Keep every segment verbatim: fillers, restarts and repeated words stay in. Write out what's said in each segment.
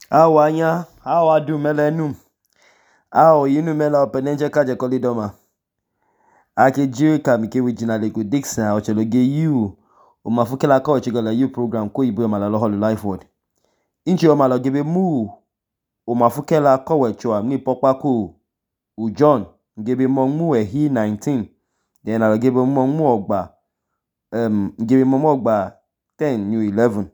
Awanya, awadu melenum. Awo yinu mela openenje kaje kolidoma. Ake jiwe kamike wijina lego Dixon ocheloge yu umafuke la ko chigala yu program ko ibu malalo holu life word. Inchi o malo gebe mu umafuke la ko wecho ni pokpa ko u John gebe monmu e hi nineteen. Then alo gebe monmu ogba um gebe monmu ogba ten new eleven.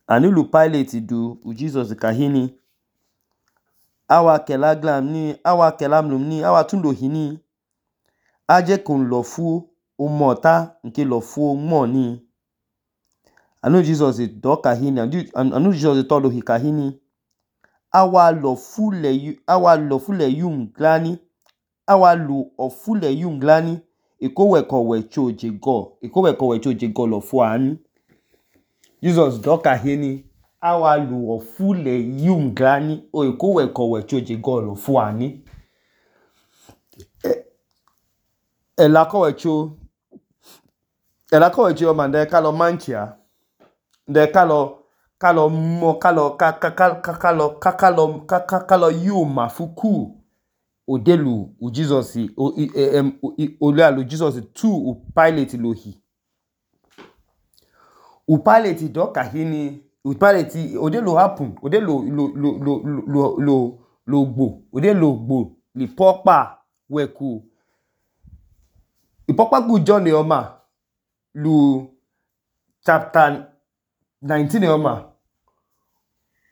Anulu pilot du u Jesus kahini. Awa kelaglam ni, awa kelamlum ni, awa tundo hini. Aje kun lo fu umota nke lo fu mo ni. Anu Jesus do kahini, anu Jesus todo hi kahini. Awa lo fu le yu, awa lo fu le yum glani. Awa lo ofu le yum glani. Eko weko wecho je go. Eko weko wecho je go lo fu ani. Jesus do kahini. Awa lo ofu le yum glani. O eko weko wecho je go lo fu ani. Ela ko wecho. Ela ko wecho yo mande kalo manchia. De kalo kalo mo kalo kalo kalo kalo kalo yuma fuku odelu u Jesus o em ole alu Jesus tu u pilot lohi. U pilot do kahini, u pilot odelu happen, odelu lo lo lo lo lo lo gbo, odelu gbo li pokpa weku. Ipokpa ku John yoma lu chapter nineteen yoma.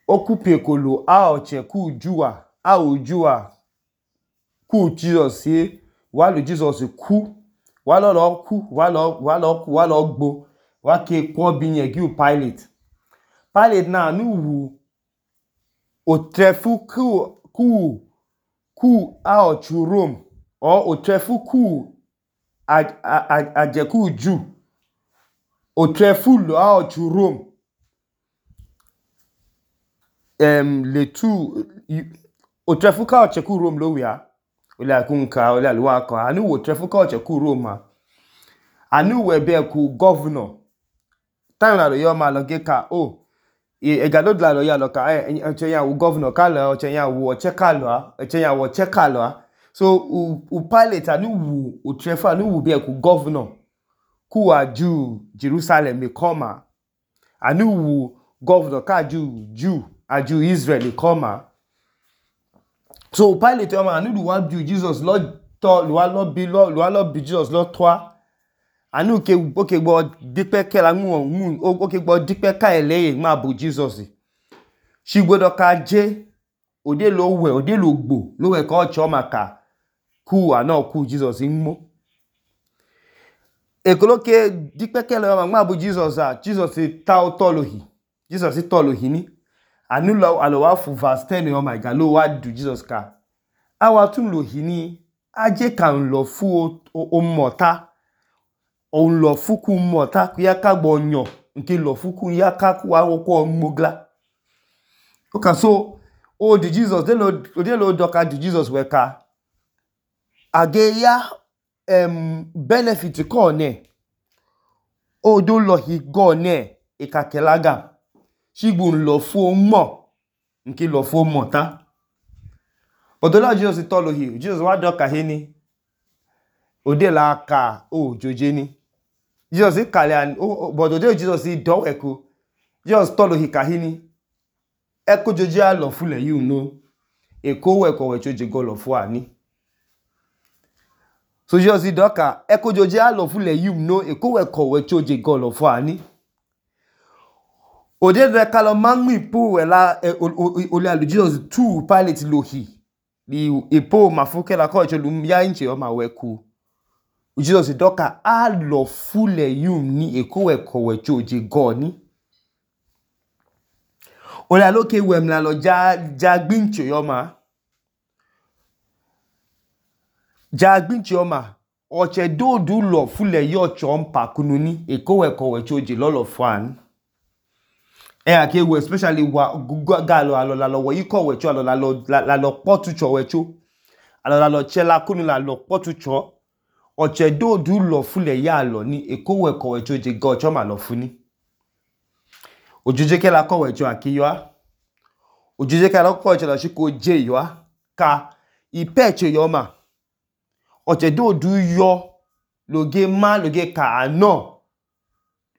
Okupe kolo a oche ku juwa, a ojua ku Jesus ye, walu Jesus ku, walo lo ku, walo walo ku, walo gbo, wake kwa binye gi u pilot. Pilot na anu wu o trefu ku ku ku a ochu Rome, or o trefu ku a a a je ku ju. O trefu lo a ochu Rome. Um, le tu o trefu ka oche ku Rome lo wia. Ole akunka, ole aluwa ka. Anu wo trefu ka oche ku Rome ma. Anu webe ku governor. Time la lo yo ma lo ge ka o. E egado la lo ya lo ka e oche ya wu governor ka lo, oche ya wu oche ka lo, oche ya wu oche ka lo. So u u pilot anu wu o trefu anu wu be ku governor. Ku aju Jerusalem me koma. Anu wu governor ka aju Jew, aju Israel koma. So pilot yoma anu du wa ju Jesus lo to lo wa lo bi lo lo wa lo bi Jesus lo toa. Anu ke oke gbo dipe ke la mu mu oke gbo dipe ka eleye ma bu Jesus. Shigbodo ka je ode lo we ode lo gbo lo we ka ocho maka ku ana ku Jesus nmo. Ekoloke dipe ke la ma bu Jesus a Jesus ta o to lo hi. Jesus to lo hi ni. Anu lo alo wa fu verse ten oh my God lo wa du Jesus ka. Awa tun lo hi ni aje kan lo fu o, o, o mota. O lo fuku mota ku ya ka gbo nyo nke lo fuku ya ka ku wa ko mogla. Okay, so o di Jesus de lo de lo doka di Jesus we ka age ya um benefit ko ne o do lo hi go ne e ka kelaga shigbu lo fu mo nke lo fu mota. But the Lord Jesus to lo hi Jesus wa doka hini o de la ka o joje ni. Jesus kale an oh, but ode Jesus do eku. Jesus tolo hikahini. Eko joje a lo fule you know. Eko weko wecho je go lo fu ani. So Jesus doka eko joje a lo fule you know. Eko weko wecho je go lo fu ani. Ode de kalo mangmi po wela ole alu Jesus tu pilot lo hi. Li epo mafuke la ko wecho lu ya inche o ma weku. Jesus doka a lo fule yum ni eko weko wecho je go ni. Ola loke wem la lo ja ja gbincho yoma. Ja gbincho yoma. Oche do du lo fule yo chompa kununi eko weko wecho je lo lo fan. E ake we especially wa galo alo la lo wo yiko wecho alo la lo la lo potu cho wecho. Alo la lo chela kunu la lo potu cho. Oche do du lo fule ya lo ni eko weko wecho je go choma lo funi. Ojuje ke la ko wecho akiyo. Ojije ka lo ko chela shiko je yo ka ipeche yo ma oche do du yo loge ma loge ka ano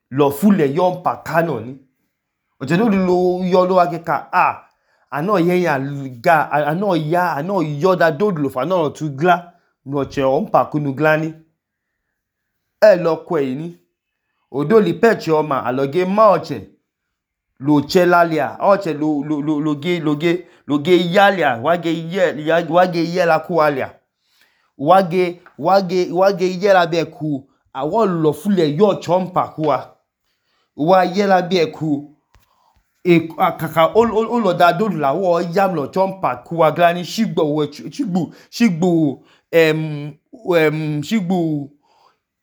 lo fule yo mpa kano ni oche do du lo yo lo age ka a ano ye ya ga ano ya ano yo da do du lo fa no tu gla no che o mpa kunu gla ni e lo kwe ni odo li peche yo ma aloge ma oche lo chelalia oche lo lo lo loge loge loge yalia wage ye wage ye la ku alia wage wage wage ye la be ku awo lo fule yo chompa kuwa wa ye la be ku e kaka o o lo da do la wo yam lo chompa kuwa glani shigbo we shigbu shigbu em em shigbu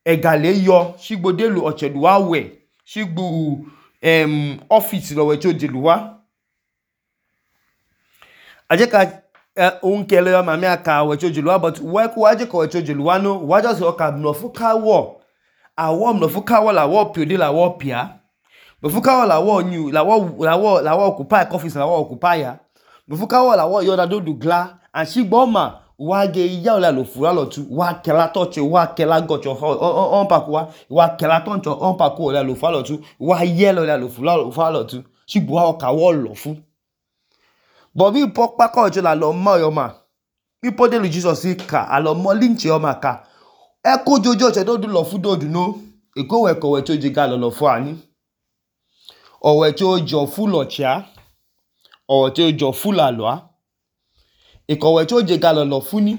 egale yo shigbo de lo oche du wa we shigbu em office lo we choje luwa aje ka un kele yo ma mi aka we choje luwa but we ku aje ko we choje luwa no wa just o ka no fu ka wo awo no fu ka wo la wo pi ode la wo pia no fu ka wo la wo new la wo la wo la wo occupy office la wo occupy ya no fu ka wo la wo yo da do du gla and shigbo ma wa ge ya la lo fura lo tu wa kela touch wa kela gocho on pa ku wa wa kela touch on pa ku la lo fa lo tu wa ye lo la lo fura lo fa lo tu shigbo wa ka wo lo fu but bi po pa ko jo la lo mo yo ma bi po de lu Jesus ka alo mo lynch yo ma ka e ko jojo che do du lo fu do du no e ko we ko we to je ga lo lo fu ani o we to jo fu lo chia o to jo fu la lo ikowe cho je ga lo funi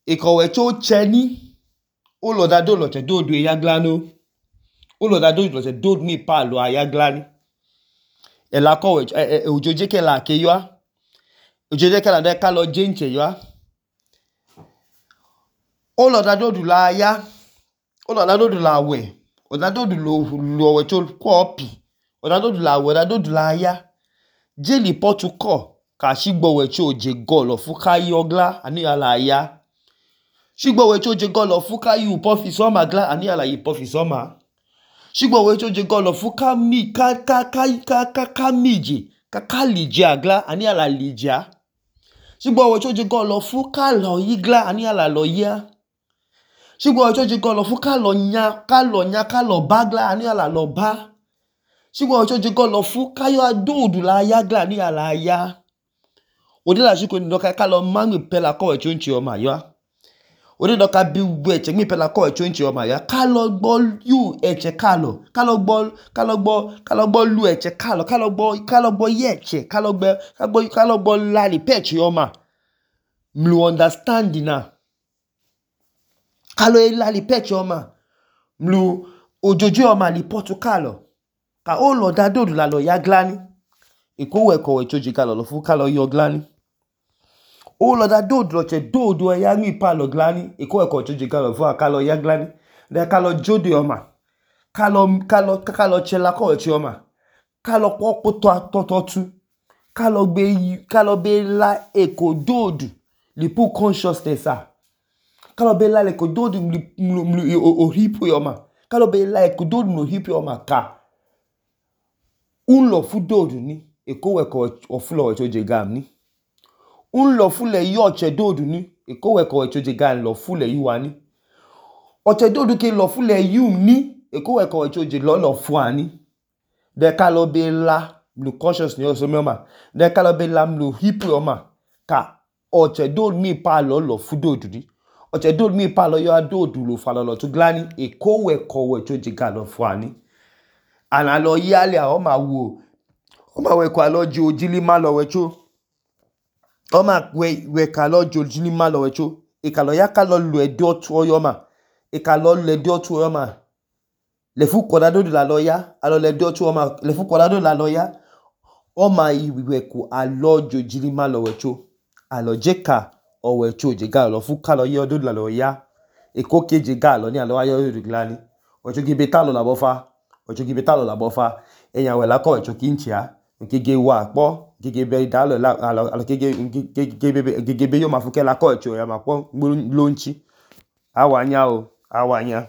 ikowe cho cheni o lo da do lo che do du ya glano o lo da do lo che do mi pa lo ya glani e la ko we ojoje ke la ke yo ojoje ke la de ka lo je nche yo o lo da do du la ya o lo da do du la we o da do du lo lo we cho ko opi o da do du la we da do du la ya je li potu ko ka shigbo we cho je go lo fu ka yo gla ani ala ya shigbo we cho je go lo fu ka yu po fi so ma gla ani ala yi po fi so ma shigbo we cho je go lo fu ka mi ka ka ka ka ka ka miji ka ka lije agla ani ala lija shigbo we cho je go lo fu ka lo yi gla ani ala lo ya shigbo we cho je go lo fu ka lo nya ka lo nya ka lo bagla ani ala lo ba shigbo we cho je go lo fu ka yo adodu la ya gla ani ala ya ode la shiko ni doka ka lo mangi pela ko e chonchi o ma yo ode doka bi we che mi pela ko e chonchi o ma ya ka lo gbo yu eche ka lo ka lo gbo ka lo gbo ka lo gbo lu eche ka lo ka lo gbo ka lo gbo ye eche ka lo gbo ka gbo ka lo gbo la li pechi o ma mlu understand na ka lo la li pechi o ma mlu ojojo o ma li potu ka lo ka o lo da do la lo ya glani iko we ko we choji ka lo lo fu ka lo yo glani o lo da do do che do do ya mi pa lo glani e ko e ko choji ka lo fu ka lo ya glani de ka lo jode o ma ka lo ka lo ka lo che la ko e chi o ma ka lo po po to to to tu ka lo be ka lo be la e ko do du li pu consciousness a ka lo be la le ko do du li o hipo o ma ka lo be la e ko do du no hipo o ma ka un lo fu do du ni e ko we ko o fu lo we choji gam ni un lo fule yo che dodu ni e ko we ko we choje gan lo fule yu ani o che dodu ke lo fule yu ni e ko we ko we choje lo lo fu ani de ka lo be la lu conscious ni o so ma de ka lo be la lu hip o ma ka o che dodu mi pa lo lo fu dodu ni o che dodu mi pa lo yo dodu lo fa lo lo tu glani e ko we ko we choje gan lo fu ani ana lo yale a o ma wo o ma we ko alo ji ojili ma lo we cho o ma we we ka lo jojini ma lo we cho e ka lo ya ka lo lu e do tu yo ma e ka lo le do tu yo ma le fu ko da do la lo ya alo le do tu o ma le fu ko da do la lo ya o ma i we ku alo jojini ma lo we cho alo je ka o we cho je ga lo fu ka lo yo do la lo ya e ko ke je ga lo ni alo ayo ru glani o cho gi beta lo la bo fa o cho gi beta lo la bo fa e yan we la ko e cho ki ntia gege wa po gege be da lo la alo gege gege gege be yo ma fu ke la ko e cho ya ma po lo nchi awanya o awanya